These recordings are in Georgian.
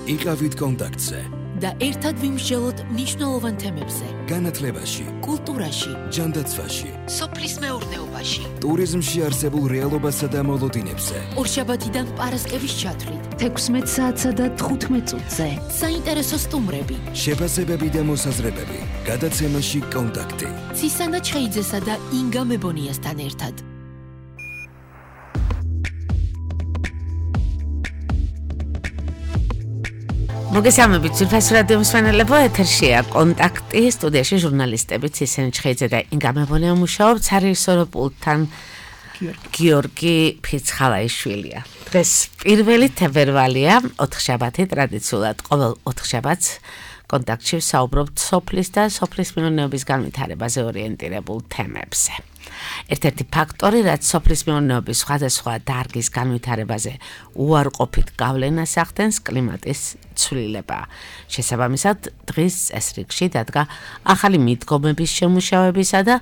იყავით კონტაქტზე და ერთად ვიმსჯელოთ მნიშვნელოვან თემებზე. განათლებაში, კულტურაში, ჯანდაცვაში, სოფლის მეურნეობაში, ტურიზმში არსებულ რეალობასა და მოლოდინებზე. ორშაბათიდან პარასკევის ჩათვლით 16 საათსა და 15 წუთზე. საინტერესო სტუმრები, შეფასებები და მოსაზრებები. გადაცემაში კონტაქტი. ცისანა ჩხეიძესა და ინგა მებონიასთან ერთად. მოგესალმებით, ძვირფას რადიო მსმენელებო, ეთერშია კონტაქტი, სტუდიაში ჟურნალისტები ცისანა ჩხეიძე და ინგა მებონია მუშაობთ, სარეჟისორო პულტთან გიორგი ფიცხალაიშვილია. დღეს 1 თებერვალია, 4 შაბათი, ტრადიციულად ყოველ 4 შაბათს კონტაქტში ვსაუბრობთ სოფლის და სოფლის მეურნეობის განვითარებაზე ორიენტირებულ თემებზე. ერთ-ერთი ფაქტორი, რაც სოფლის მეურნეობის სხვადასხვა დარგის განვითარებაზე უარყოფით გავლენას ახდენს, კლიმატის ცვლილება. შესაბამისად, დღის წესრიგში დადგა ახალი მიდგომების შემუშავებისა და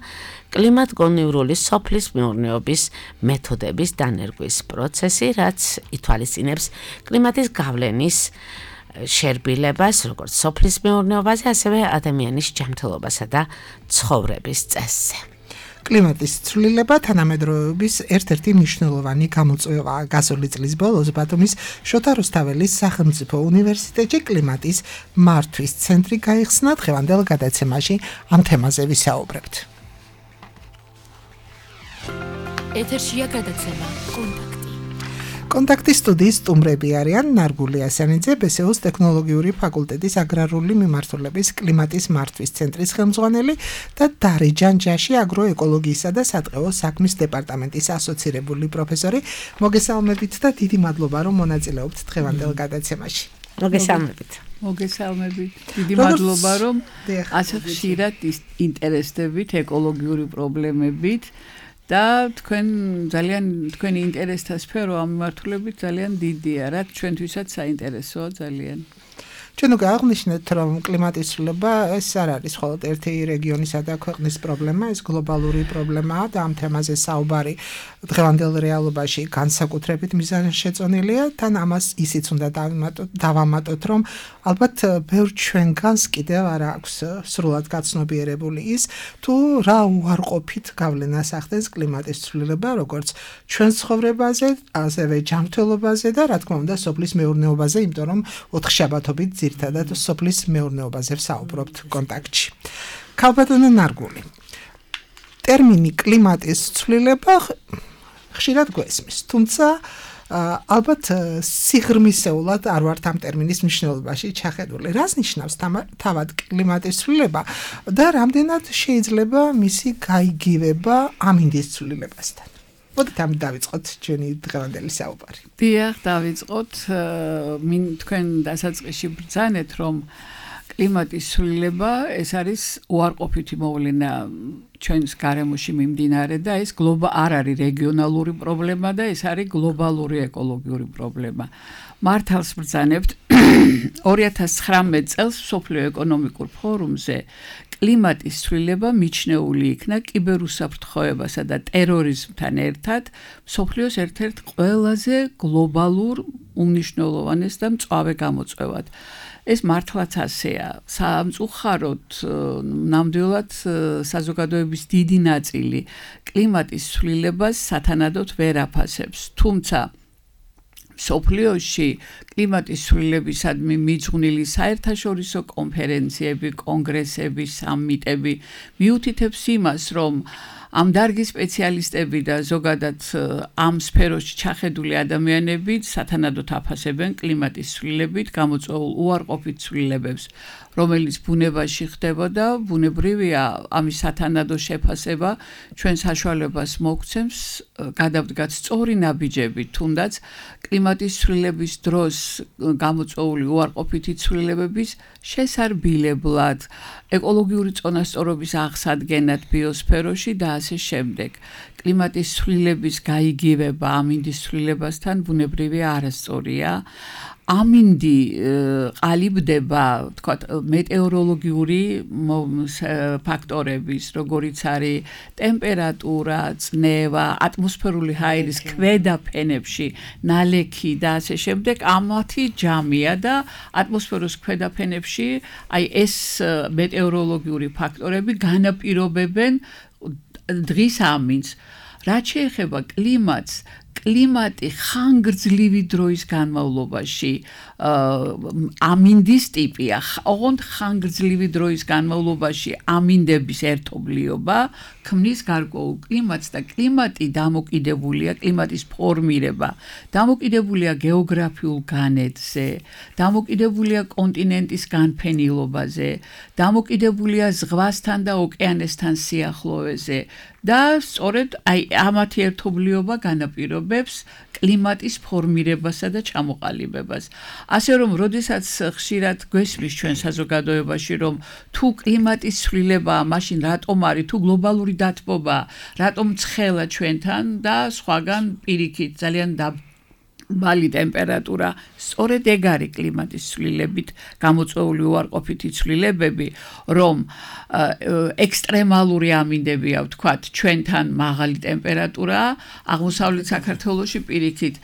კლიმატგონივრული სოფლის მეურნეობის მეთოდების დანერგვის პროცესი, რაც ითვალისწინებს კლიმატის გავლენის შერბილებას, როგორც სოფლის მეურნეობაზე, ასევე ადამიანის ჯანმრთელობასა და ცხოვრების წესზე. კლიმატის ცვლილება თანამედროვეობის ერთ-ერთი მნიშვნელოვანი გამოწვევაა. გასული წლის ბოლოს ბათუმის შოთა რუსთაველის სახელმწიფო უნივერსიტეტში კლიმატის მართვის ცენტრი გაიხსნა. დღევანდელ გადაცემაში ამ თემაზე ვისაუბრებთ. ეთერშია გადაცემა კონტაქტი. კონტაქტის სტუდიის სტუმრები არიან ნარგული ასანიძე, ბესეუს ტექნოლოგიური ფაკულტეტის აგრარული მიმართულების კლიმატის მართვის ცენტრის ხელმძღვანელი და დარეჯან ჯაში აგროეკოლოგიისა და სატყეო საქმის დეპარტამენტის ასოცირებული პროფესორი. მოგესალმებით და დიდი მადლობა, რომ მონაწილეობთ დღევანდელ გადაცემაში. მოგესალმებით. მოგესალმებით. დიდი მადლობა, რომ ასე ხშირად ინტერესდებით ეკოლოგიური პრობლემებით. და თქვენი ინტერესთა სფერო ამ მიმართულებით ძალიან დიდია, რაც ჩვენთვისაც საინტერესოა ძალიან. ჩვენ გააღვნიშნეთ, რომ კლიმატის ცვლილება ეს არ არის მხოლოდ ერთი რეგიონისა და ქვეყნის პრობლემა, ეს გლობალური პრობლემაა და ამ თემაზე საუბარი დღევანდელ რეალობაში განსაკუთრებით მიზანშეწონილია. თან ამას ისიც უნდა დავამატოთ, რომ ალბათ ბევრ ჩვენგანს კიდევ არ აქვს სრულად გაცნობიერებული ის, თუ რა უარყოფით გავლენას ახდენს კლიმატის ცვლილება, როგორც ჩვენ ცხოვრებაზე, ასევე ჯანმრთელობაზე და რა თქმა უნდა სოფლის მეურნეობაზე, იმიტომ რომ 4 შაბათობით ძირითადად სოფლის მეურნეობაზე ვსაუბრობთ კონტაქტში. ქალბატონო ნარგული. ტერმინი კლიმატის ცვლილება ხშირად გვესმის, თუმცა ალბათ სიღრმისეულად არ ვართ ამ ტერმინის მნიშვნელობაში ჩახედული. რას ნიშნავს თავად კლიმატის ცვლილება და რამდენად შეიძლება მისი გაიგივება ამინდის ცვლილებასთან? მოდით ამით დავიწყოთ ჩვენი დღევანდელი საუბარი. დიახ, დავიწყოთ. თქვენ დასაწყისში ბრძანეთ, რომ კლიმატის ცვლილება ეს არის უარყოფითი მოვლენა ჩვენს გარემოში მიმდინარე და ეს არ არის რეგიონალური პრობლემა და ეს არის გლობალური ეკოლოგიური პრობლემა. მართალს ბრძანებთ 2019 წელს მსოფლიო ეკონომიკურ ფორუმზე კლიმატის ცვლილება მიჩნეული იქნა კიბერუსაფრთხოებასა და ტერორიზმთან ერთად მსოფლიოს ერთ-ერთ ყველაზე გლობალურ უმნიშვნელოვანეს და მწვავე გამოწვევად. ეს მართლაც ასეა. სამწუხაროდ ნამდვილად საზოგადოების დიდი ნაწილი კლიმატის ცვლილებას სათანადოდ ვერ აფასებს. თუმცა მსოფლიოში კლიმატის ცვლილებისადმი მიძღვნილი საერთაშორისო კონფერენციები, კონგრესები, სამიტები მიუთითებს იმას, რომ ამ დარგის სპეციალისტები და ზოგადად ამ სფეროში ჩახედული ადამიანები სათანადოდ აფასებენ კლიმატის ცვლილებით გამოწვეულ უარყოფით ცვლილებებს, რომელიც ბუნებაში ხდებოდა, ბუნებრივია ამის სათანადო შეფასება ჩვენ საშუალებას მოგცემს გადავდგათ სწორი ნაბიჯები, თუნდაც კლიმატის ცვლილების დროს გამოწვეული უარყოფითი ცვლილებების შესარბილებლად, ეკოლოგიური წონასწორობის აღსადგენად ბიოსფეროში და ასე შემდეგ. კლიმატის ცვლილების გაიგივება ამინდის ცვლილებასთან ბუნებრივია არასწორია. ამინდი ყალიბდება, თქვათ, მეტეოროლოგიური ფაქტორების, როგორიც არის ტემპერატურა, წნევა, ატმოსფერული ჰაერის ქვედა ფენებში ნალექი და ასე შემდეგ, ამათი ჯამია და ატმოსფეროს ქვედა ფენებში აი ეს მეტეოროლოგიური ფაქტორები განაპირობებენ დღის ამინდს. რაც შეეხება კლიმატს, კლიმატი ხანგრძლივი დროის განმავლობაში ამინდის ტიპია. ოღონდ ხანგრძლივი დროის განმავლობაში ამინდების ერთობლიობა ქმნის გარკვეულ კლიმატს და კლიმატი დამოკიდებულია, კლიმატის ფორმირება დამოკიდებულია გეოგრაფიულ განედზე, დამოკიდებულია კონტინენტის განფენილობაზე, დამოკიდებულია ზღვასთან და ოკეანესთან სიახლოვეზე და სწორედ აი ამათი ერთობლიობა განაპირობებს კლიმატის ფორმირებასა და ჩამოყალიბებას. ასე რომ, როდესაც ხშირად გვესმის ჩვენ საზოგადოებაში, რომ თუ კლიმატის ცვლილებაა, მაშინ რატომ არის, თუ გლობალური დათბობაა, რატომ ცხელა ჩვენთან და სხვაგან პირიქით ძალიან მალი ტემპერატურა, სწორედ ეგ არის კლიმატის ცვლილებით გამოწვეული უარყოფითი ცვლილებები, რომ ექსტრემალური ამინდებია, ვთქვათ, ჩვენთან მაღალი ტემპერატურაა, აღმოსავლეთ საქართველოში პირიქით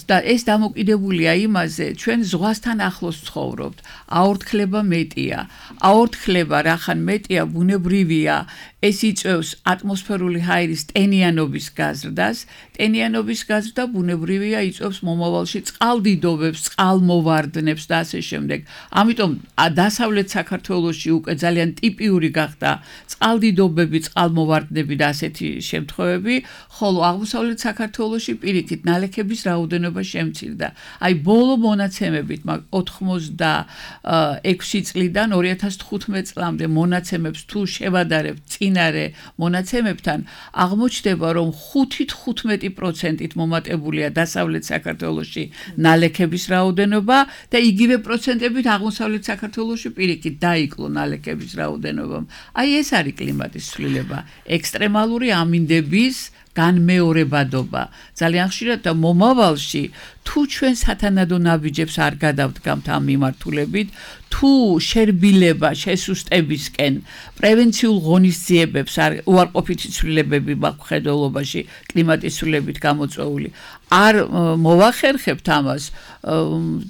და ეს დამოკიდებულია იმაზე, ჩვენ ზღვასთან ახლოს ცხოვრობთ, აორთქლება მეტია, აორთქლება რახან მეტია, ბუნებრივია, ეს იწვევს ატმოსფერული ჰაერის ტენიანობის გაზრდას, ტენიანობის გაზრდა ბუნებრივია იწვევს მომავალში წყალდიდობებს, წყალმოვარდნებს და ასე შემდეგ. ამიტომ დასავლეთ საქართველოში უკვე ძალიან ტიპიური გახდა წყალდიდობები, წყალმოვარდნები და ასეთი შემთხვევები, ხოლო აღმოსავლეთ საქართველოში პირიქით ნალექების რაოდენობა შემცირდა. აი ბოლო მონაცემებით 86 წლიდან 2015 წლამდე მონაცემებს თუ შევადარებთ წინარე მონაცემებთან, აღმოჩნდება, რომ 5-15%-ით მომატებულია დასავლეთ საქართველოში ნალექების რაოდენობა და იგივე პროცენტებით აღმოსავლეთ საქართველოში პირიქით დაიკლო ნალექების რაოდენობამ. აი ეს არის კლიმატის ცვლილება, ექსტრემალური ამინდების განმეორებადობა. ძალიან ხშირად და მომავალში თუ ჩვენ სათანადო ნაბიჯებს არ გადავდგამთ ამ მიმართულებით, თუ შერბილება შესუსტებისკენ პრევენციულ ღონისძიებებს უარყოფითი ცვლილებები მხედველობაში კლიმატის ცვლილებით გამოწვეული არ მოვახერხებთ ამას,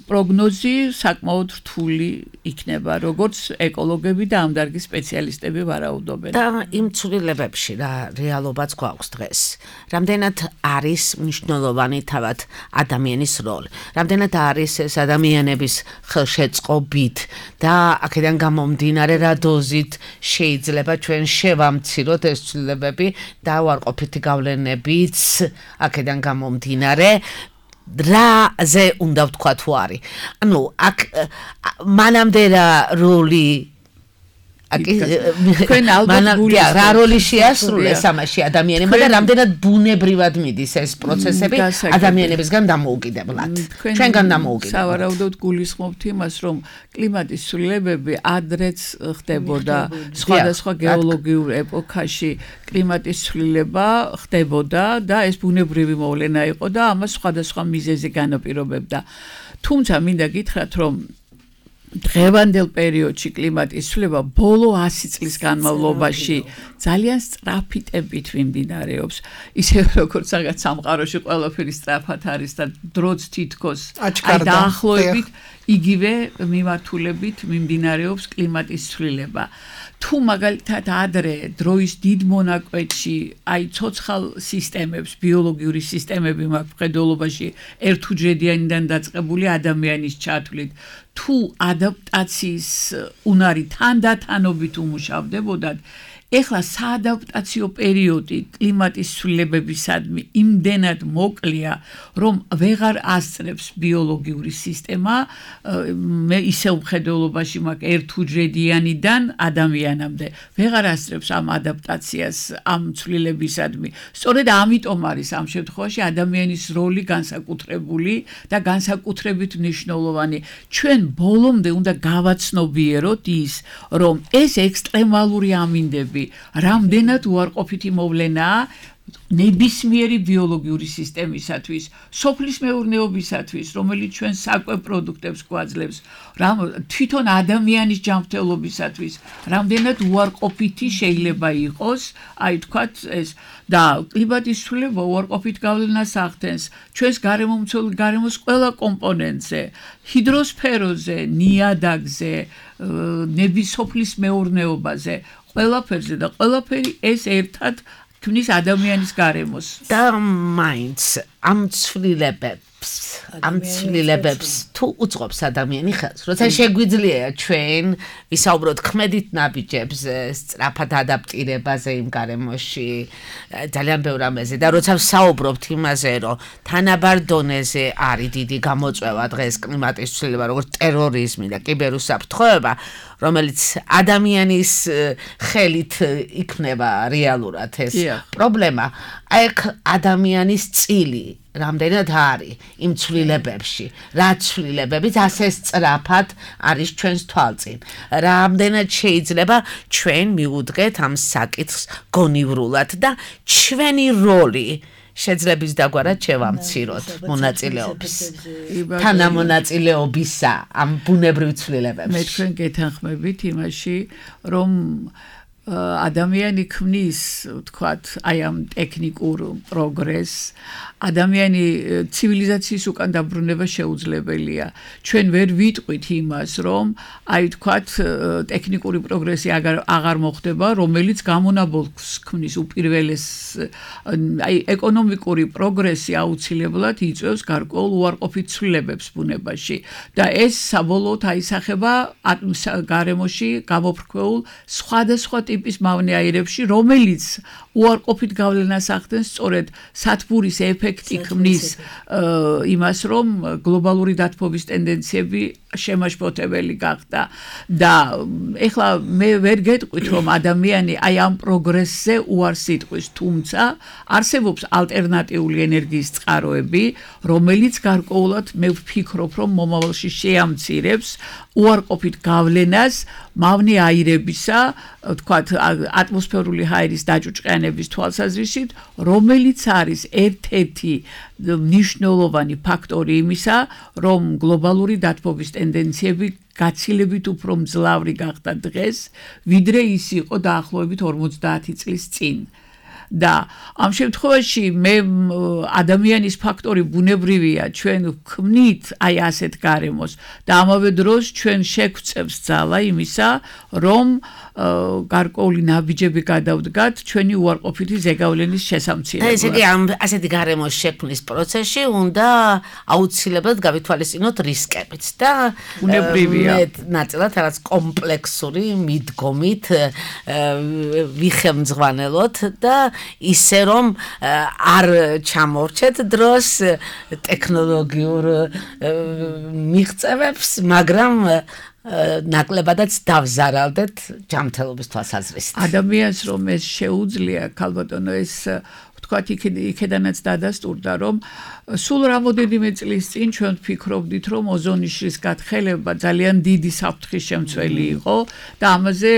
პროგნოზი საკმაოდ რთული იქნება, როგორც ეკოლოგები და ამ დარგის სპეციალისტები ვარაუდობენ. და იმ ცვლილებებში რა რეალობაც გვაქვს დღეს. რამდენად არის მნიშვნელოვანი თავად ადამიანის როლი, რამდენად არის ეს ადამიანების ხელშეწყობით და აქედან გამომდინარე რა დოზით შეიძლება ჩვენ შევამციროთ ეს ცვლილებები და უარყოფითი გავლენებიც აქედან გამომდინარე რაზე უნდა ვთქვა თუ არის. ანუ აქ მანამდე რა როლი თქვენ ალბათ რა როლი შეასრულეს ამაში ადამიანებმა და რამდენად ბუნებრივად მიდის ეს პროცესები ადამიანებისგან დამოუკიდებლად, ჩვენგან დამოუკიდებლად. სავარაუდოდ გულისხმობთ იმას, რომ კლიმატის ცვლილებები ადრეც ხდებოდა სხვადასხვა გეოლოგიურ ეპოქაში კლიმატის ცვლილება ხდებოდა და ეს ბუნებრივი მოვლენა იყო და ამას სხვადასხვა მიზეზი განაპირობებდა. თუმცა მინდა გითხრათ, რომ დღევანდელ პერიოდში კლიმატის ცვლილება ბოლო 100 წლის განმავლობაში ძალიან სწრაფი ტემპით მიმდინარეობს. ისე როგორც რაღაც სამყაროში ყველაფერი სწრაფად არის და დროც თითქოს დაახლოებით იგივე მიმართულებით მიმდინარეობს კლიმატის ცვლილება. თუ მაგალითად ადრე დროის დიდ მონაკვეთში აი ცოცხალ სისტემებს, ბიოლოგიური სისტემები მხედველობაში ერთუჯრედიანიდან დაწყებული ადამიანის ჩათვლით, თუ ადაპტაციის უნარი თანდათანობით უმუშავდებოდათ, ეხლა საადაპტაციო პერიოდი კლიმატის ცვლილებებისადმი იმდენად მოკლეა, რომ ვეღარ ასწრებს ბიოლოგიური სისტემა ისევ მხედველობაში მაგ ერთუჯრედიანიდან ადამიანამდე. ვეღარ ასწრებს ამ ადაპტაციას ამ ცვლილებისადმი. სწორედ ამიტომ არის ამ შემთხვევაში ადამიანის როლი განსაკუთრებული და განსაკუთრებით მნიშვნელოვანი. ჩვენ ბოლომდე უნდა გავაცნობიეროთ ის, რომ ეს ექსტრემალური ამინდები რამდენად უარყოფითი მოვლენაა ნებისმიერი ბიოლოგიური სისტემისათვის, სოფლის მეურნეობისათვის, რომელიც ჩვენ საკვებ პროდუქტებს გვაძლევს, თვითონ ადამიანის ჯანმრთელობისათვის, რამდენად უარყოფითი შეიძლება იყოს, აი თქვათ ეს და კლიმატის ცვლილება უარყოფით გავლენას ახდენს ჩვენს გარემოს ყველა კომპონენტზე, ჰიდროსფეროზე, ნიადაგზე, ნების სოფლის მეურნეობაზე, ყველაფერზე და ყველაფერი ეს ერთად ქმნის ადამიანის გარემოს. და მაინც ამ ცვლილებებს თუ უწყობს ადამიანი ხელს, როცა შეგვიძლია ჩვენ ვისაუბროთ ქმედით ნაბიჯებს, სწრაფად ადაპტირებაზე იმ გარემოში, ძალიან ბევრ რამეზე და როცა ვსაუბრობთ იმაზე, რომ თანაბარ დონეზე არის დიდი გამოწვევა დღეს კლიმატის ცვლილება, როგორც ტერორიზმი და კიბერუსაფრთხოება, რომელიც ადამიანის ხელით იქნება რეალურად ეს პრობლემა, აქ ადამიანის წილი რამდენად არის იმ ცვლილებებში, რა ცვლილებებით ასე სწრაფად არის ჩვენს თვალწინ. რამდენად შეიძლება ჩვენ მივუდგეთ ამ საკითხს გონივრულად და ჩვენი როლი შეძლების დაგვარად შევამციროთ მონაწილეობის. თანამონაწილეობისა ამ ბუნებრივ ცვლილებებში. მე თქვენ გეთანხმებით იმაში, რომ ადამიანი ქმნის, ვთქვათ, აი ამ ტექნიკურ პროგრესს, ადამიანი ცივილიზაციის უკან დაბრუნება შეუძლებელია. ჩვენ ვერ ვიტყვით იმას, რომ აი თქვათ, ტექნიკური პროგრესი აღარ მოხდება, რომელიც გამონაბოლქვს ქმნის უპირველეს, აი ეკონომიკური პროგრესი აუცილებლად იწვევს გარკვეულ უარყოფით ცვლილებებს ბუნებაში და ეს საბოლოოდ აისახება გარემოში გამოფრქვეულ სხვადასხვა ტიპის მავნეაირებში, რომელიც უარყოფით გავლენას ახდენს სწორედ სათბურის ეფექტი ქმნის იმას, რომ გლობალური დათბობის ტენდენციები შემაშფოთებელი გახდა და ეხლა მე ვერ გეტყვით, რომ ადამიანი აი ამ პროგრესზე უარს იტყვის, თუმცა არსებობს ალტერნატიული ენერგიის წყაროები, რომელიც გარკვეულად მე ვფიქრობ, რომ მომავალში შეამცირებს უარყოფით გავლენას მავნე აირებისა, ვთქვათ, ატმოსფერული ჰაერის დაჭუჭყიანების თვალსაზრისით, რომელიც არის ერთ-ერთი მნიშვნელოვანი ფაქტორი იმისა, რომ გლობალური დათბობის ტენდენციები გაცილებით უფრო მძლავრი გახდა დღეს, ვიდრე ის იყო დაახლოებით 50 წლის წინ. და ამ შემთხვევაში მე ადამიანის ფაქტორი ბუნებრივია, ჩვენ ვქმნით აი ასეთ გარემოს და ამავე დროს ჩვენ შეგვწევს ძალა იმისა, რომ გარკვეული ნაბიჯები გადავდგათ ჩვენი უარყოფითი ზეგავლენის შესამცირებლად. ესე იგი ამ ასეთი გარემოს შექმნის პროცესში უნდა აუცილებლად გავითვალისწინოთ რისკებიც და ბუნებრივია. ნაწილად რაღაც კომპლექსური მიდგომით ვიხელმძღვანელოთ და ისე რომ არ ჩამორჩეთ დროს ტექნოლოგიურ მიღწევებს, მაგრამ ნაკლებადაც დავზარალდეთ ჯანმრთელობის თვალსაზრისით. ადამიანს რომ ეს შეუძლია, ქალბატონო, ეს ვთქვათ, იქედანაც დადასტურდა, რომ სულ რამოდენიმე წლის წინ ჩვენ ვფიქრობდით, რომ ოზონიშის გათხელება ძალიან დიდი საფრთხის შემცველი იყო და ამაზე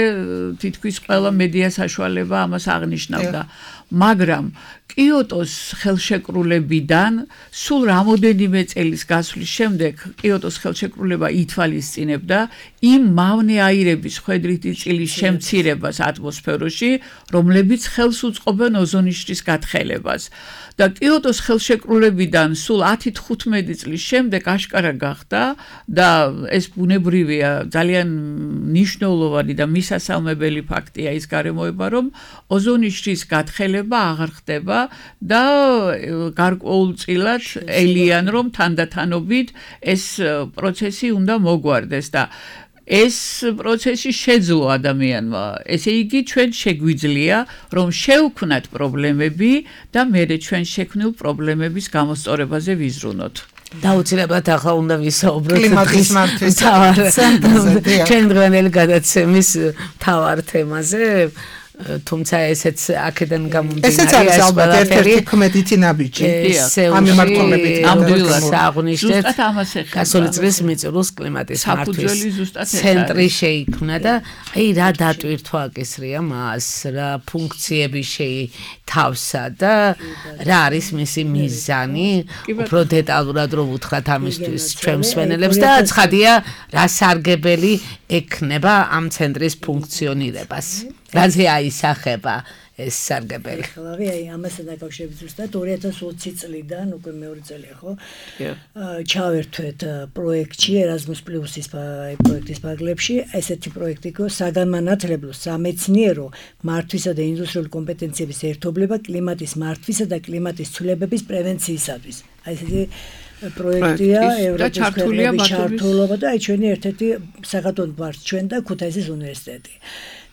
თითქმის ყველა მედია საშუალება ამას აღნიშნავდა. მაგრამ კიოტოს ხელშეკრულებიდან სულ რამოდენიმე წელის გასვლის შემდეგ კიოტოს ხელშეკრულება ითვალისწინებდა იმ მავნე აირების ხვედრითი წილის შემცირებას ატმოსფეროში, რომლებიც ხელს უწყობენ ოზონიშის გათხელებას. და კიოტოს ხელშეკრულებიდან სულ 10-15 წლის შემდეგ აშკარა გახდა და ეს ბუნებრივია, ძალიან მნიშვნელოვანი და მისასალმებელი ფაქტია ის გარემოება, რომ ოზონიშის გათხელება აღარ ხდება და გარკვეულწილად ელიან, რომ თანდათანობით ეს პროცესი უნდა მოგვარდეს და ეს პროცესი შეძლო ადამიანმა. ესე იგი, ჩვენ შეგვიძლია, რომ შევქმნათ პრობლემები და მერე ჩვენ შექმნილ პრობლემების გამოსწორებაზე ვიზრუნოთ. დაუცილებლად ახლა უნდა ვისაუბროთ კლიმატის ჩვენ დღევანდელი გადაცემის მთავარ თემაზე. თუმცა ესეც აქედან ესეც არის ალბათ ერთ-ერთი ქმედითი ნაბიჯი. ამ მიმართულებით ნამდვილად აღნიშნეთ ზუსტად ამას ეხება. გასული წლის მიწურულს კლიმატის მართვის საფუძველი ზუსტად ეს ცენტრი შეიქმნა და აი რა დატვირთვა აკისრია მას, რა ფუნქციები შეითავსა და რა არის მისი მიზანი, უფრო დეტალურად რომ უთხრათ ამისთვის ჩვენ მსმენელებს და ცხადია რა სარგებელი ექნება ამ ცენტრის ფუნქციონირებას. რაზე აისახება ეს სარგებელი? ხალხი აი ამასთან დაკავშირებით ზუსტად 2020 წლიდან უკვე მეორე წელია ხო? ჩავერთვეთ პროექტში Erasmus Plus-ის პროექტის ფარგლებში ესეთი პროექტი იყო საგანმანათლებლო სამეცნიერო მართვისა და ინდუსტრიული კომპეტენციების ერთობლება კლიმატის მართვისა და κλიმატის ცვლილებების პრევენციისათვის. აი ესეთი პროექტია ევროპის ქვეყნების ჩართულობა და აი ჩვენი ერთ-ერთი საქართველოს გვართ ჩვენ და ქუთაისის უნივერსიტეტი.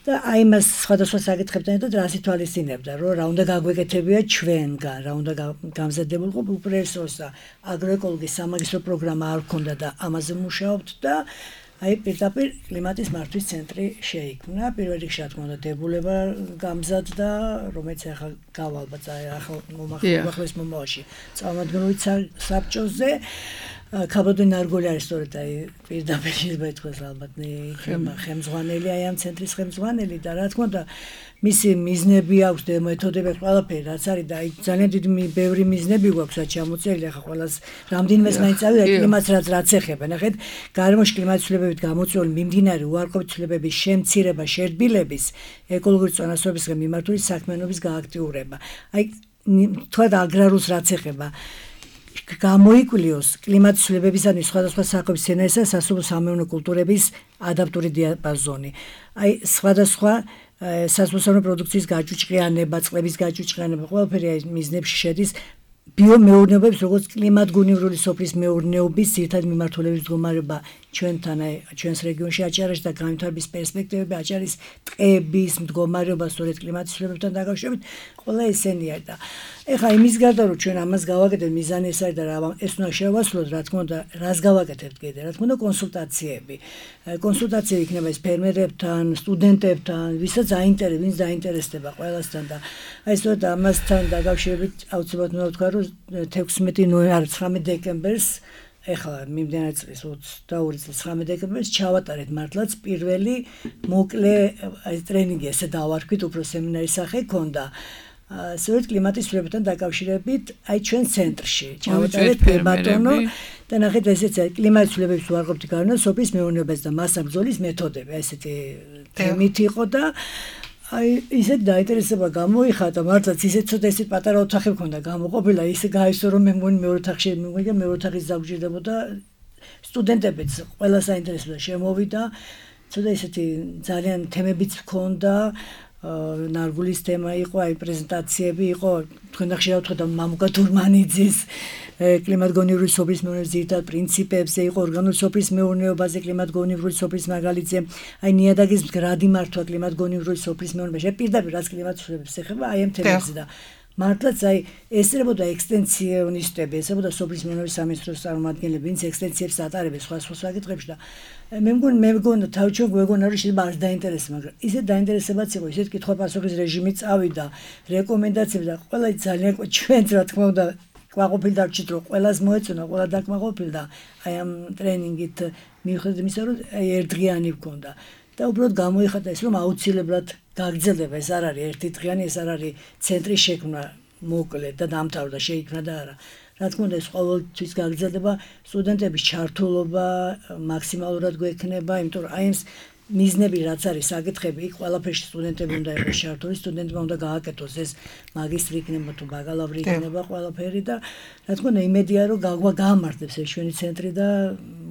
და აი მას სხვადასხვა საკითხებთან ერთად რას ითვალისწინებდა, რომ რა უნდა გაგვეკეთებია ჩვენგან, რა უნდა გამზადებულიყო უპირველეს და აგროეკოლოგიის სამაგისტრო პროგრამა არ ქონდა და ამაზე მუშაობთ და აი პირდაპირ კლიმატის მართვის ცენტრი შეიქმნა. პირველ რიგში რა თქმა უნდა დებულება გამზადდა, რომელიც ახლა გავალბათ ახლა მომახვილეს მომავალში წარმომადგენლობით საბჭოზე. ქაბადონ ნარგოლი არის სწორედ აი პირდაპირ შეიძლება ითქვას ალბათ ხელმძღვანელი აი ამ ცენტრის ხელმძღვანელი და რა თქმა უნდა მისი მიზნები აქვს და მეთოდები ყველაფერი რაც არის და აი ძალიან დიდი ბევრი მიზნები გვაქვს რაც ჩამოწერილი ახლა ყველას რამდენიმეს მაინც წავიდა კლიმატს რაც ეხება ნახეთ გარემოში კლიმატის ცვლილებებით გამოწვეული მიმდინარე უარყოფითი ცვლილებების შემცირება შერბილების ეკოლოგიური წონასწორობისგან მიმართული საქმიანობის გააქტიურება აი თქვა აგრარულს რაც ეხება გამოიკვლიოს კლიმატის ცვლილებებისადმი სხვადასხვა საკვების სცენარისა და სასოფლო-სამეურნეო კულტურების ადაპტური დიაპაზონი. აი სხვადასხვა სასოფლო-სამეურნეო პროდუქციის გაჭუჭყიანება, წყლების გაჭუჭყიანება, ყველაფერი აი მიზნებში შედის ბიომეურნეობებს, როგორც კლიმატგონივრული სოფლის მეურნეობის ძირითადი მიმართულების მდგომარეობა ჩვენთან აი ჩვენს რეგიონში აჭარაში და განვითარების პერსპექტივები აჭარის ტყეების მდგომარეობა სწორედ კლიმატის ცვლილებებთან დაკავშირებით ყველა ესენია და ეხლა იმის გარდა რომ ჩვენ ამას გავაკეთებთ მიზანი ეს არის და ეს უნდა შევასრულოთ რა თქმა უნდა რას გავაკეთებთ კიდე რა თქმა უნდა კონსულტაციები იქნება ეს ფერმერებთან სტუდენტებთან ვისაც ვინც დაინტერესდება ყველასთან და აი სწორედ ამასთან დაკავშირებით აუცილებლად უნდა ვთქვა რომ 19 დეკემბერს ეხლა მიმდინარე წლის 22 წლის 9 დეკემბერს ჩავატარეთ მართლაც პირველი მოკლე ტრენინგი ესე დავარქვით უფრო სემინარის სახე ქონდა სწორედ კლიმატის ცვლილებებთან დაკავშირებით აი ჩვენ ცენტრში ჩავატარეთ ბატონო და ნახეთ ესეც კლიმატის ცვლილებების უარყოფითი გავლენა სოფლის მეურნეობაზე და მასა ბრძოლის მეთოდები აი ესეთი თემით იყო და აი ისეთ დაინტერესება გამოიხატა მართლაც ისეთ ცოტა ისეთ პატარა ოთახი მქონდა გამოყოფილა ისე გაისო რომ მე მგონი მეორე ოთახში მიგონია მეორე ოთახის დაგვჭირდებოდა სტუდენტებიც ყველა საინტერესოა შემოვიდა ცოტა ისეთი ძალიან თემებიც მქონდა ნარგულის თემა იყო აი პრეზენტაციები იყო თქვენ ხშირად ვთქვათ მამუკა თურმანიძის კლიმატგონივრული სოფლის მეურნეობის ძირითად პრინციპებზე იყო ორგანული სოფლის მეურნეობაზე კლიმატგონივრული სოფლის მაგალითზე აი ნიადაგის მდგრადი მართვა კლიმატგონივრული სოფლის მეურნეობაში პირდაპირ რაც კლიმატის ცვლილებებს ეხება აი ამ თემებზე და მართლაც აი ესწრებოდა ექსტენსიონისტები ესწრებოდა სოფლის მეურნეობის სამინისტროს წარმომადგენლები ვინც ექსტენსიებს ატარებენ სხვა საკითხებში და მე მგონი თავჩო გვეგონა რომ შეიძლება არ დაინტერესება მაგრამ ისეთ დაინტერესებაც იყო ისეთ კითხვა-პასუხის რეჟიმი წავიდა რეკომენდაციები და ყველა ძალიან ჩვენც რა თქმა უნდა ყვაყოფილ დარჩით რომ ყველას მოეწონა ყველა დაკმაყოფილდა აი ამ ტრენინგით მიუხედავად იმისა რომ აი ერთდღიანი გქონდა და უბრალოდ გამოიხატა ის რომ აუცილებლად გაგრძელდება ეს არ არის ერთი დღიანი ეს არ არის ცენტრის შექმნა მოკლე და დამთავრდა შეიქმნა და არა რა თქმა უნდა ეს ყოველთვის გაგრძელდება სტუდენტების ჩართულობა მაქსიმალურად გვექნება იმიტომ რომ აი ეს მიზნები რაც არის საკითხები იქ ყველაფერში სტუდენტები უნდა იყოს ჩართული სტუდენტებმა უნდა გააკეთოს ეს მაგისტრი იქნება თუ ბაკალავრი იქნება ყველაფერი და რა თქმა უნდა იმედია რომ გაამართლებს ეს ჩვენი ცენტრი და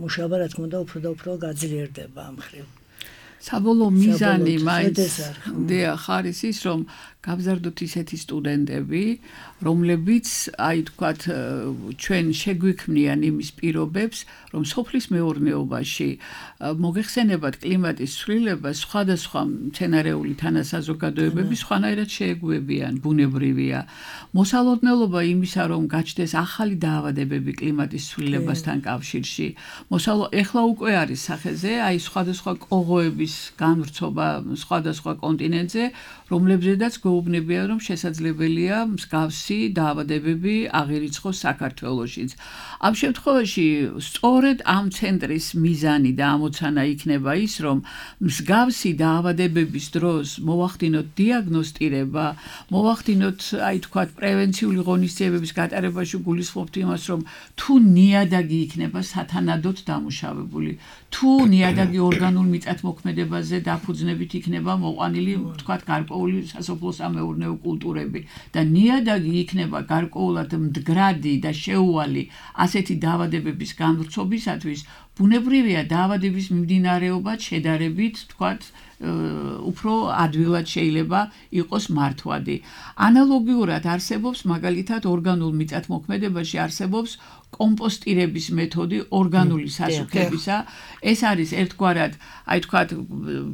მუშაობა რა თქმა უნდა უფრო და უფრო გაძლიერდება ამ მხრივ საბოლოო მიზანი მაინც ხარის ის რომ გავზარდოთ ისეთი სტუდენტები რომლებიც აი თქვათ ჩვენ შეგვიქმნიან იმის პირობებს რომ სოფლის მეურნეობაში მოგეხსენებათ კლიმატის ცვლილება სხვადასხვა მცენარეული თანასაზოგადოებები სხვანაირად შეეგუებიან ბუნებრივია მოსალოდნელობა იმისა რომ გაჩნდეს ახალი დაავადებები კლიმატის ცვლილებასთან კავშირში ეხლა უკვე არის სახეზე აი სხვადასხვა კოღოების დაავადების განვრცობა სხვადასხვა კონტინენტზე, რომლებზედაც გვეუბნებიან, რომ შესაძლებელია მსგავსი დაავადებები აღირიცხოს საქართველოშიც. ამ შემთხვევაში სწორედ ამ ცენტრის მიზანი და ამოცანა იქნება ის, რომ მსგავსი დაავადებების დროს მოვახდინოთ დიაგნოსტირება, მოვახდინოთ, აი თქვათ, პრევენციული ღონისძიებების გატარებაში გულისხმობთ იმას, რომ თუ ნიადაგი იქნება სათანადოდ დამუშავებული, თუ ნიადაგი ორგანულ მიწათმოქმედებაზე დაფუძნებით იქნება მოყვანილი, თქვათ, გარკვეული სასოფლო-სამეურნეო კულტურები და ნიადაგი იქნება გარკვეულად მდგრადი და შეუვალი ასეთი დაავადებების განვრცობისათვის, ბუნებრივია დაავადების მიმდინარეობა შედარებით, თქვათ, უფრო ადვილად შეიძლება იყოს მართვადი. ანალოგიურად არსებობს მაგალითად ორგანულ მიწათმოქმედებაში არსებობს კომპოსტირების მეთოდი ორგანული სასუქებისა. ეს არის ერთგვარად, აი თქვათ,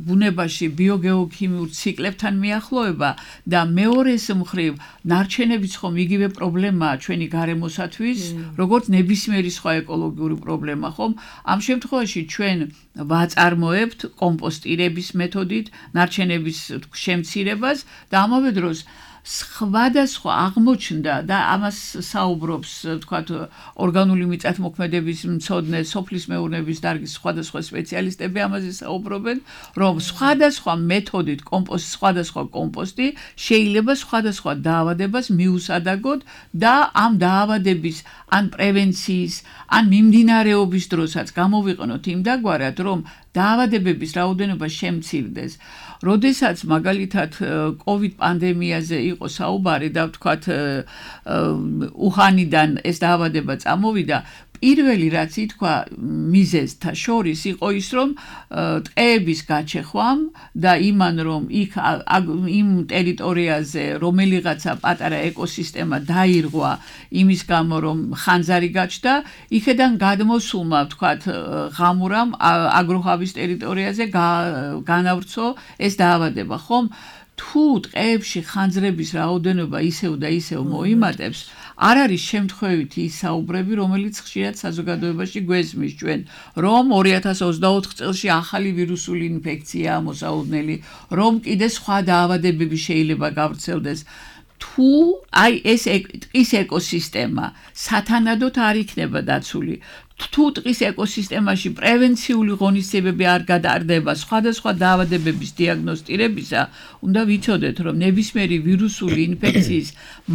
ბუნებაში ბიოგეოქიმიურ ციკლებთან მიახლოება და მეორეს მხრივ ნარჩენებიც ხომ იგივე პრობლემაა ჩვენი გარემოსათვის, როგორც ნებისმიერი სხვა ეკოლოგიური პრობლემა, ხომ? ამ შემთხვევაში ჩვენ ვაწარმოებთ კომპოსტირების მეთოდით ნარჩენების შემცირებას და ამავე დროს სხვადასხვა აღმოჩნდა და ამას საუბრობს, თქვათ, ორგანული მიწათმოქმედების მცოდნე, სოფლის მეურნეობის დარგის სხვადასხვა სპეციალისტები ამაზე საუბრობენ, რომ სხვადასხვა მეთოდით სხვადასხვა კომპოსტი შეიძლება სხვადასხვა დაავადებას მიუსადაგოთ და ამ დაავადების ან პრევენციის, ან მიმდინარეობის დროსაც გამოვიყენოთ იმდაგვარად, რომ დაავადებების რაოდენობა შემცირდეს. როდესაც მაგალითად COVID პანდემიაზე იყო საუბარი და ვთქვათ უჰანიდან ეს დაავადება წამოვიდა, პირველი რაც ითქვა მიზეზთა შორის იყო ის, რომ ტყეების გაჩეხვამ და იმან, რომ იქ იმ ტერიტორიაზე რომელიღაცა პატარა ეკოსისტემა დაირღვა იმის გამო, რომ ხანძარი გაჩნდა, იქედან გადმოსულმა, ვთქვათ, ღამურამ აგროჰავის ტერიტორიაზე განავრცო ეს დაავადება, ხომ? თუ ტყეებში ხანძრების რაოდენობა ისევ და ისევ მოიმატებს, არ არის შემთხვევითი ის საუბრები, რომელიც ხშირად საზოგადოებაში გვესმის ჩვენ, რომ 2024 წელში ახალი ვირუსული ინფექციაა მოსაუბრებელი, რომ კიდე სხვა დაავადებები შეიძლება გავრცელდეს. თუ აი ეს ტყის ეკოსისტემა სათანადოდ არ იქნება დაცული, თუ ტყის ეკოსისტემაში პრევენციული ღონისძიებები არ გადარდება სხვადასხვა დაავადებების დიაგნოსტირებისა, უნდა ვიცოდეთ, რომ ნებისმიერი ვირუსული ინფექციის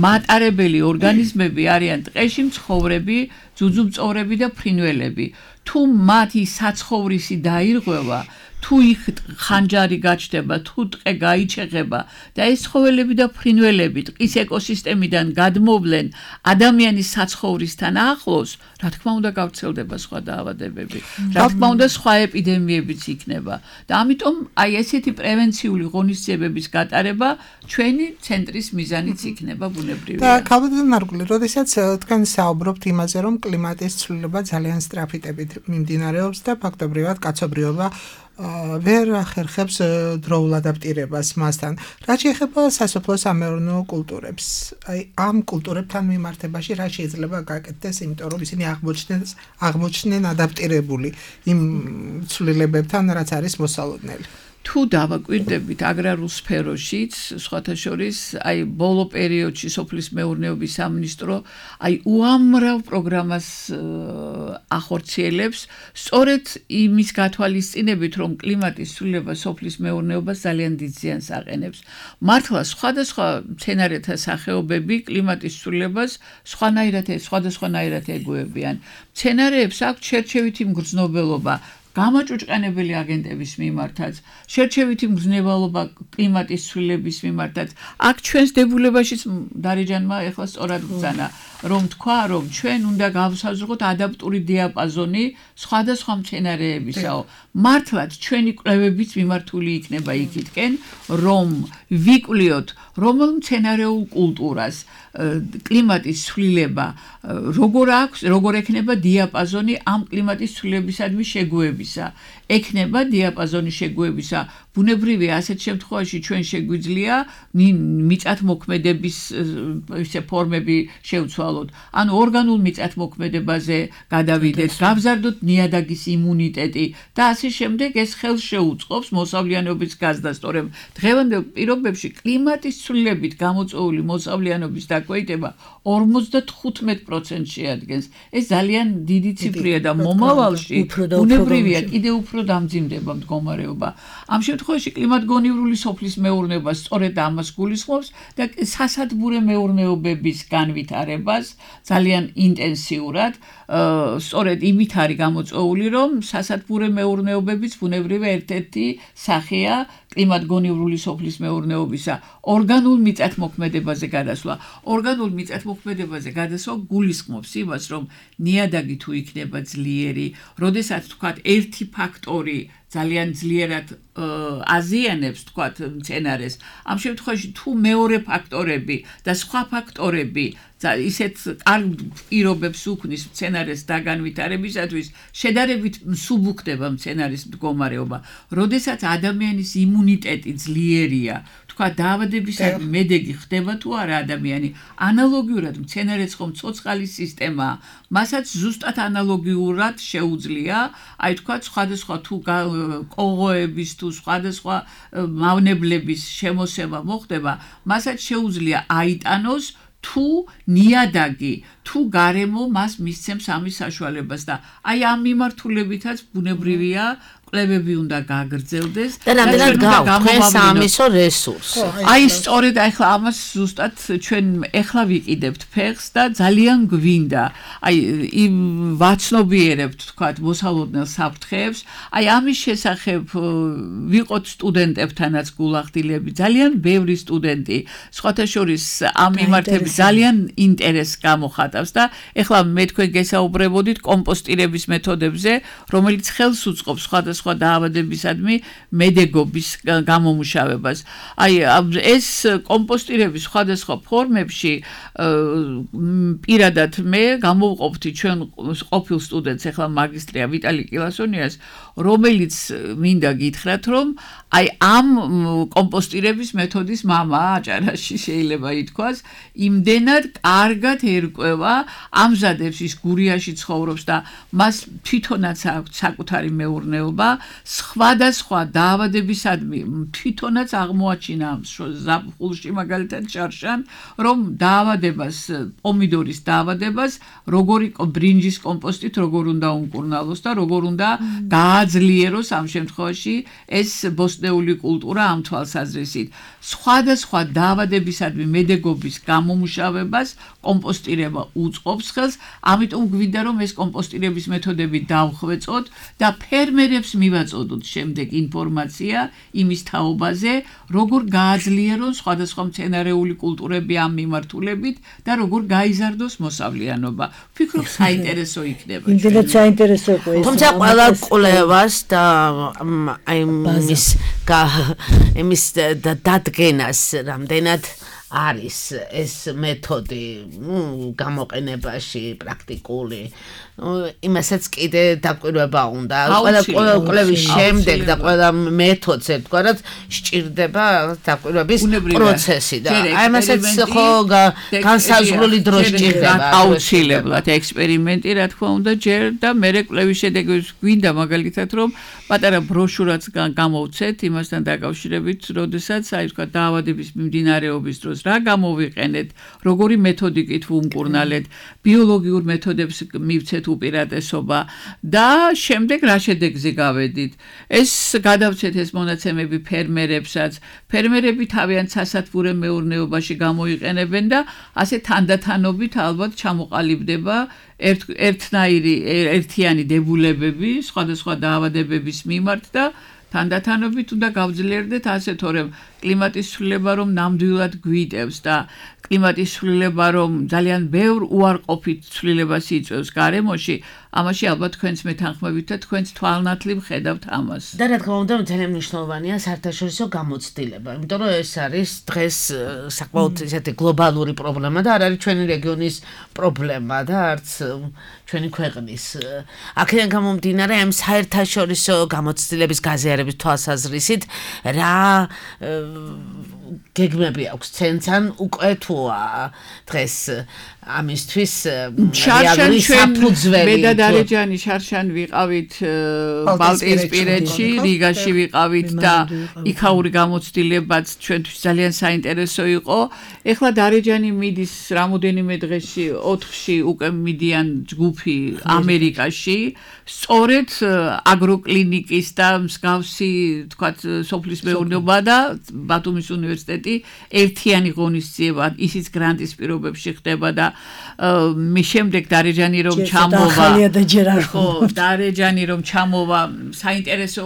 მატარებელი ორგანიზმები არიან ტყეში მცხოვრები ძუძუმწოვრები და ფრინველები. თუ მათი საცხოვრისი დაირღვევა, თუ იქ ხანჯარი გაჩნდება, თუ ტყე გაიჩეხება და ეს ცხოველები და ფრინველები ტყის ეკოსისტემიდან გადმოვლენ ადამიანის საცხოვრისთან ახლოს, რა თქმა უნდა გავრცელდება სხვა დაავადებები. რა თქმა უნდა სხვა ეპიდემიებიც იქნება. და ამიტომ აი ესეთი პრევენციული ღონისძიებების გატარება ჩვენი ცენტრის მიზანიც იქნება ბუნებრივია. და ქალბატონ ნარგული, როდესაც თქვენ საუბრობთ იმაზე, რომ კლიმატის ცვლილება ძალიან სწრაფიტებით მიმდინარეობს და ფაქტობრივად კაცობრიობა ვერ ახერხებს დროულ ადაპტირებას მასთან. რაც შეეხება სასოფლო-სამეურნეო კულტურებს, აი ამ კულტურებთან მიმართებაში რა შეიძლება გაკეთდეს, იმიტომ რომ ისინი აღმოჩნდნენ ადაპტირებული იმ ცვლილებებთან, რაც არის მოსალოდნელი. თუ დავაკვირდებით აგრარულ სფეროშიც, სხვათა შორის, აი ბოლო პერიოდში სოფლის მეურნეობის სამინისტრო აი უამრავ პროგრამას ახორციელებს, სწორედ იმის გათვალისწინებით, რომ კლიმატის ცვლილება სოფლის მეურნეობას ძალიან დიდ ზიანს აყენებს. მართლა სხვადასხვა მცენარეთა სახეობები კლიმატის ცვლილებას სხვადასხვანაირად ეგუებიან. მცენარეებს აქვთ შერჩევითი მგრძნობელობა გამაჭუჭყანებელი აგენტების მიმართაც, შერჩევითი მგრძნობელობა კლიმატის ცვლილების მიმართაც. აქ ჩვენს დებულებაშიც დარეჯანმა ეხლა სწორად ბრძანა, რომ თქვა, რომ ჩვენ უნდა გავსაზრდოთ ადაპტური დიაპაზონი სხვადასხვა მცენარეებისაო. მართლაც ჩვენი კვლევებიც მიმართული იქნება იქითკენ, რომ ვიკვლიოთ რომელ მცენარეულ კულტურას კლიმატის ცვლილება როგორ ექნება დიაპაზონი ამ კლიმატის ცვლილებისადმი შეგუებისა. ექნება დიაპაზონი შეგუებისა. ბუნებრივია ასეთ შემთხვევაში ჩვენ შეგვიძლია მიწათმოქმედების ფორმები შევცვალოთ, დავთვალოთ. ანუ ორგანულ მიწათმოქმედებაზე გადავიდეთ, გავზარდოთ ნიადაგის იმუნიტეტი და ასე შემდეგ ეს ხელს შეუწყობს მოსავლიანობის გაზრდას, თორემ დღევანდელ პირობებში კლიმატის ცვლილებით გამოწვეული მოსავლიანობის დაქვეითება 55% შეადგენს. ეს ძალიან დიდი ციფრია და მომავალში ბუნებრივია კიდე უფრო დამძიმდება მდგომარეობა. ამ შემთხვევაში კლიმატგონივრული სოფლის მეურნეობა სწორედ ამას გულისხმობს და სასადბურე მეურნეობების განვითარებას ძალიან ინტენსიურად, სწორედ იმით არის გამოწვეული, რომ სასადბურე მეურნეობების ბუნებრივი ერთ-ერთი სახეა კლიმატგონივრული სოფლის მეურნეობისა ორგანულ მიწათმოქმედებაზე გადასვლა. ორგანულ მიწათმოქმედებაზე გადასვლა გულისხმობს იმას, რომ ნიადაგი თუ იქნება ძლიერი, როდესაც თქვათ ერთი ფაქტორი ძალიანძლიერად აზიანებს თქვათ მცენარეს. ამ შემთხვევაში თუ მეორე ფაქტორები და სხვა ფაქტორები ისეთ კარგ პირობებს უქმნის მცენარეს დაგანვითარებისათვის, შედარებით მსუბუქდება მცენარის მდგომარეობა. როდესაც ადამიანის იმუნიტეტი ძლიერია, თქვა დაავადებისადმი მედეგი ხდება თუ არა ადამიანი, ანალოგიურად მცენარეს ხომ ცოცხალის სისტემაა, მასაც ზუსტად ანალოგიურად შეუძლია, აი თქვა სხვადასხვა თუ კოღოების თუ სხვადასხვა მავნებლების შემოსება მოხდება, მასაც შეუძლია აიტანოს თუ ნიადაგი, თუ გარემო მას მისცემს ამის საშუალებას და აი ამ მიმართულებითაც ბუნებრივია კვლევები უნდა გაგრძელდეს და რამდენად გავხსნეს ამისო რესურსი. აი სწორედ ახლა ამას ზუსტად ჩვენ ახლა ვიყიდებთ ფეხს და ძალიან გვინდა. აი იმ ვაცნობიერებთ თქვათ მოსალოდნელ საფრთხეებს. აი ამის შესახებ ვიყოთ სტუდენტებთანაც გულახდილები. ძალიან ბევრი სტუდენტი სხვათა შორის ამ მიმართებით ძალიან ინტერესს გამოხატავს და ახლა მე თქვენ გესაუბრებოდით კომპოსტირების მეთოდებზე, რომელიც ხელს უწყობს სხვადასხვა დაავადებისადმი მედეგობის გამომუშავებას. აი ეს კომპოსტირების სხვადასხვა ფორმებში პირადად მე გამოვყოფთი ჩვენ ყოფილ სტუდენტს ახლა მაგისტრია ვიტალი კილასონიას, რომელიც მინდა გითხრათ, რომ აი ამ კომპოსტირების მეთოდის მამაა აჭარაში შეიძლება ითქვას, იმდენად კარგად ერკვევა, ამზადებს ის გურიაში ცხოვრობს და მას თვითონაც აქვს საკუთარი მეურნეობა, სხვადასხვა დაავადებისადმი თვითონაც აღმოაჩინა ზაფხულში მაგალითად ჭარშან, რომ დაავადებას, პომიდორის დაავადებას, როგორი ბრინჯის კომპოსტით როგორ უნდა უმკურნალოს და როგორ უნდა გააძლიეროს ამ შემთხვევაში ეს ბოსტნეული კულტურა ამ თვალსაზრისით. სხვადასხვა დაავადებისადმი მედეგობის გამომუშავებას კომპოსტირება უწყობს ხელს, ამიტომ გვინდა რომ ეს კომპოსტირების მეთოდები დავხვეწოთ და ფერმერებს მივაწოდოთ შემდეგ ინფორმაცია იმის თაობაზე, როგორ გააძლიერონ სხვადასხვა მცენარეული კულტურები ამ მიმართულებით და როგორ გაიზარდოს მოსავლიანობა. ვფიქრობ საინტერესო იქნება. იმდენად საინტერესო იყო ეს. თუმცა ყველა კვლევას და აი იმის დადგენას რამდენად არის ეს მეთოდი გამოყენებაში პრაქტიკული, იმასაც კიდე დაკვირვება უნდა. ყველა კვლევის შემდეგ და ყველა მეთოდს ერთგვარად სჭირდება დაკვირვების პროცესი და აი იმასაც ხო განსაზღვრული დრო სჭირდება. აუცილებლად ექსპერიმენტი რა თქმა უნდა ჯერ და მერე კვლევის შედეგებს გვინდა მაგალითად რომ პატარა ბროშურაც გამოვცეთ იმასთან დაკავშირებით, როდესაც აი თქვა დაავადების მიმდინარეობის დროს რა გამოვიყენეთ, როგორი მეთოდიკით ვუმკურნალეთ, ბიოლოგიურ მეთოდებს მივცეთ უპირატესობა და შემდეგ რა შედეგზე გავედით. ეს გადავცეთ ეს მონაცემები ფერმერებსაც. ფერმერები თავიანთ სასათბურე მეურნეობაში გამოიყენებენ და ასე თანდათანობით ალბათ ჩამოყალიბდება ერთიანი დებულებები სხვადასხვა დაავადებების მიმართ და თანდათანობით უნდა გავძლიერდეთ ასე, თორემ კლიმატის ცვლილება რომ ნამდვილად გვიტევს და კლიმატის ცვლილება რომ ძალიან ბევრ უარყოფით ცვლილებას იწვევს გარემოში, ამაში ალბათ თქვენც მეთანხმებით და თქვენც თვალნათლივ ხედავთ ამას. და რა თქმა უნდა, ძალიან მნიშვნელოვანია საერთაშორისო გამოცდილება, იმიტომ რომ ეს არის დღეს საკმაოდ ისეთი გლობალური პრობლემა და არ არის ჩვენი რეგიონის პრობლემა და არც ჩვენი ქვეყნის. აქედან გამომდინარე, ამ საერთაშორისო გამოცდილების გაზიარების თვალსაზრისით რა გეგმები აქვს ცენცან უკვე თუა დღეს ამისთვის შარშან საფუძველი მე და დარეჯანი შარშან ვიყავით ბალტიისპირეთში რიგაში ვიყავით და იქაური გამოცდილებაც ჩვენთვის ძალიან საინტერესო იყო ეხლა დარეჯანი მიდის რამოდენიმე დღეში 4-ში უკვე მიდიან ჯგუფი ამერიკაში სწორედ აგროკლინიკის და მსგავსი თქვათ სოფლის მეურნეობა და ბათუმის უნივერსიტეტი ერთიანი ღონისძიება ისიც გრანტის პირობებში ხდება და მე შემდეგ დარეჯანი რომ ჩამოვა ხო დარეჯანი რომ ჩამოვა საინტერესო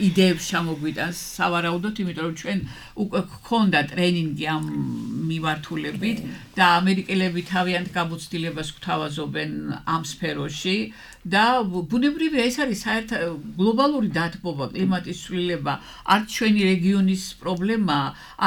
იდეებს ჩამოგვიტანს სავარაუდოდ იმიტომ რომ ჩვენ უკვე გქონდა ტრენინგი ამ მიმართულებით და ამერიკელები თავიანთ გამოცდილებას გვთავაზობენ ამ სფეროში და ბუნებრივია ეს არის საერთო გლობალური დათბობა კლიმატის ცვლილება არც ჩვენი რეგიონის პრობლემა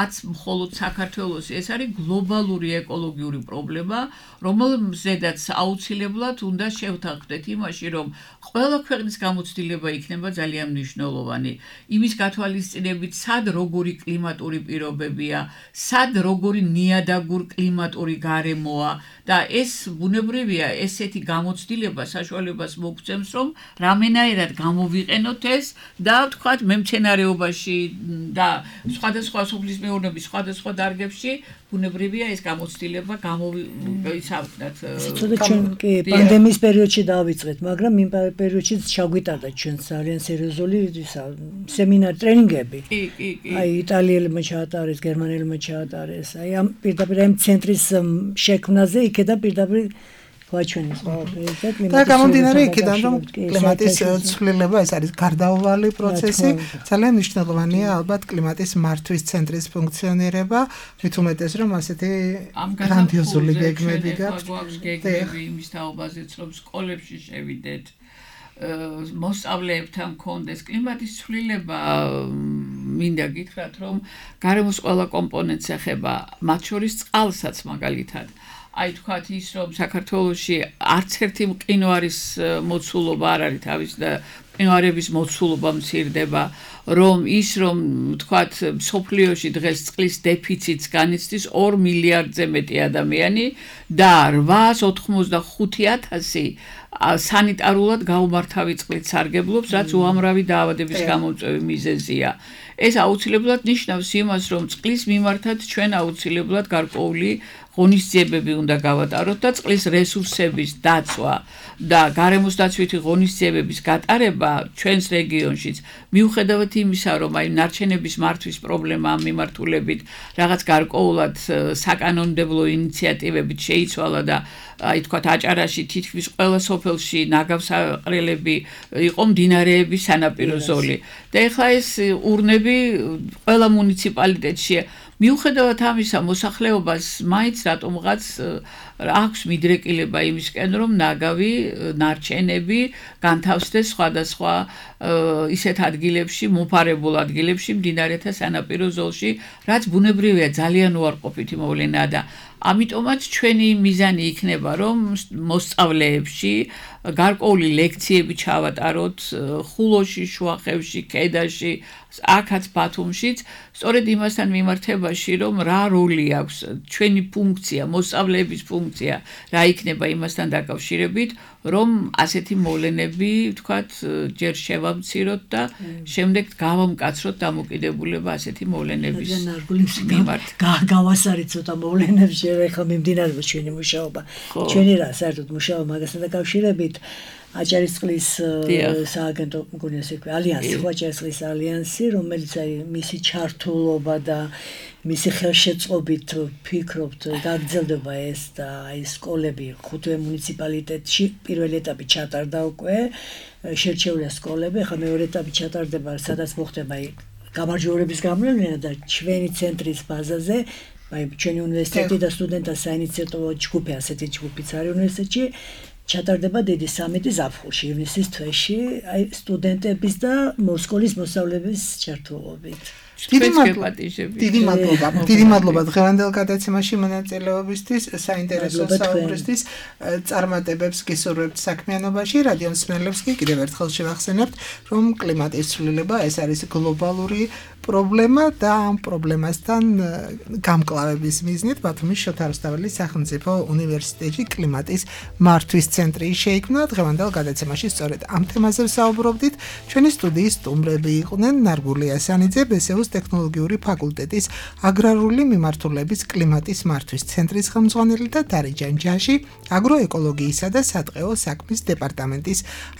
არც მხოლოდ საქართველოს ეს არის გლობალური ეკოლოგიური პრობლემა რომელზედაც აუცილებლად უნდა შევთანხმდეთ იმაში რომ ყველა ქვეყნის გამოცდილება იქნება ძალიან მნიშვნელოვანი იმის გათვალისწინებით სად როგორი კლიმატური პირობებია სად როგორი ნიადაგურ კლიმატური გარემოა და ეს ბუნებრივია ესეთი გამოცდილება საშუალებას მოგცემს რომ რამენაირად გამოვიყენოთ ეს და ვთქვათ მემცენარეობაში და სხვადასხვა სოფლის მეურნეობის სხვადასხვა დარგებში ბუნებრივია ეს გამოცდილება გამოვიცავთ ჩვენ კი პანდემიის პერიოდში დავიწყეთ მაგრამ იმ პერიოდშიც ჩაგვიტარდა ჩვენ ძალიან სერიოზული სემინარი ტრენინგები აი იტალიელებმა ჩაატარეს გერმანელებმა ჩაატარეს აი ამ პირდაპირ ამ ცენტრის შექმნაზე იქედა პირდაპირ გვაჩვენეს ყველაფერი და გამომდინარე იქიდან რომ კლიმატის ცვლილება ეს არის გარდაუვალი პროცესი ძალიან მნიშვნელოვანია ალბათ კლიმატის მართვის ცენტრის ფუნქციონირება მით უმეტეს რომ ასეთი გრანდიოზული გეგმები გაქვს გეგმები იმის თაობაზეც რომ სკოლებში შევიდეთ მოსწავლეებთან კონდეს კლიმატის ცვლილება მინდა გითხრათ რომ გარემოს ყველა კომპონენტს ეხება მათ შორის წყალსაც მაგალითად აი თქვათ ის რომ საქართველოში არც ერთი მყინვარის მოცულობა არ არის თავის და მყინვარების მოცულობა მცირდება რომ ის რომ თქვათ სოფლიოში დღეს წყლის დეფიციტს განიცდის 2 მილიარდზე მეტი ადამიანი და 885,000 სანიტარულად გაუმართავი წყლით სარგებლობს რაც უამრავი დაავადების გამომწვევი მიზეზია ეს აუცილებლად ნიშნავს იმას რომ წყლის მიმართად ჩვენ აუცილებლად გარკვეული ღონისძიებები უნდა გავატაროთ და წყლის რესურსების დაცვა და გარემოს დაცვითი ღონისძიებების გატარება ჩვენს რეგიონშიც მიუხედავად იმისა რომ აი ნარჩენების მართვის პრობლემა მიმართულებით რაღაც გარკვეულად საკანონმდებლო ინიციატივებით შეიცვალა და აი თქვათ აჭარაში თითქმის ყველა სოფელში ნაგავსაყრელები იყო მდინარეების სანაპირო ზოლი და ეხლა ეს ურნები ყველა მუნიციპალიტეტში მიუხედავად ამისა მოსახლეობას მაინც რატომღაც აქვს მიდრეკილება იმისკენ რომ ნაგავი ნარჩენები განთავსდეს სხვადასხვა ისეთ ადგილებში მომფარებულ ადგილებში მდინარეთა სანაპირო ზოლში რაც ბუნებრივია ძალიან უარყოფითი მოვლენაა და ამიტომაც ჩვენი მიზანი იქნება რომ მოსწავლეებში გარკვეული ლექციები ჩავატაროთ ხულოში, შუახევში, ქედაში, აქაც ბათუმშიც, სწორედ იმასთან მიმართებაში, რომ რა როლი აქვს ჩვენი ფუნქცია, მოსწავლეების ფუნქცია, რა იქნება იმასთან დაკავშირებით, რომ ასეთი მოვლენები, ვთქვათ, ჯერ შევამციროთ და შემდეგ გავამკაცროთ დამოკიდებულება ასეთი მოვლენების მიმართ. გავასარით ცოტა მოვლენებში, ეხლა მიმდინარეობს ჩვენი მუშაობა. ჩვენი რა საერთოდ მუშაობა მაგასთან დაკავშირებით აჭარისწყლის სააგენტო მგონია ესე ვქვი ალიანსი, აჭარისწყლის ალიანსი, რომელიც აი მისი ჩართულობა და მისი ხელშეწყობით ფიქრობთ გაგრძელდება ეს და აი სკოლები ხუთვე მუნიციპალიტეტში პირველი ეტაპი ჩატარდა უკვე შერჩეულია სკოლები, ახლა მეორე ეტაპი ჩატარდება, სადაც მოხდება აი გამარჯვებების გამოვლენა და ჩვენი ცენტრის ბაზაზე აი ჩვენი უნივერსიტეტი და სტუდენტთა საინიციატივო ჯგუფი, ასეთი ჯგუფიც არის უნივერსიტეტში ჩატარდება დიდი სამიტი ზაფხულში, ივნისის თვეში, აი სტუდენტების და მოსკოვის მოსწავლეების ჩართულობით. დიდი მადლობა დღევანდელ გადაცემაში მონაწილეობისთვის, საინტერესო საუბრისთვის, წარმატებებს გისურვებთ საქმიანობაში. რადიო მსმენელებს კი კიდევ ერთხელ შევახსენებთ, რომ კლიმატის ცვლილება ეს არის გლობალური პრობლემა და ამ პრობლემასთან გამკლავების მიზნით ბათუმის შოთა რუსთაველის სახელმწიფო უნივერსიტეტში კლიმატის მართვის ცენტრი შეიქმნა. დღევანდელ გადაცემაში სწორედ ამ თემაზე ვსაუბრობდით. ჩვენი სტუდიის სტუმრები იყვნენ ნარგული ასანიძე, ბესეუს ტექნოლოგიური ფაკულტეტის აგრარული მიმართულების კლიმატის მართვის ცენტრის ხელმძღვანელი და დარიჯან ჯაში, აგროეკოლოგიისა და სატყეო საქმის დეპარტამენტის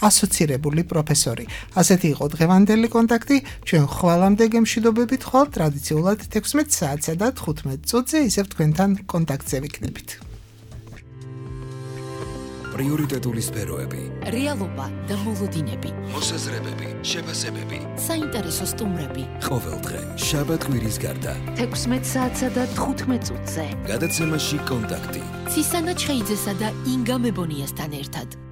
ასოცირებული პროფესორი. ასეთი იყო დღევანდელი კონტაქტი. ჩვენ ხვალამდე გემშვიდობებით ხვალ ტრადიციულად 16 საათსა და 15 წუთზე ისევ თქვენთან კონტაქტზე ვიქნებით. პრიორიტეტული სფეროები, რეალობა და მოლოდინები, მოსაზრებები, შეფასებები, საინტერესო სტუმრები. ყოველდღე შაბათ-კვირის გარდა 16 საათსა და 15 წუთზე. გადაცემაში კონტაქტი. ცისანა ჩხეიძესა და ინგა მებონიასთან ერთად.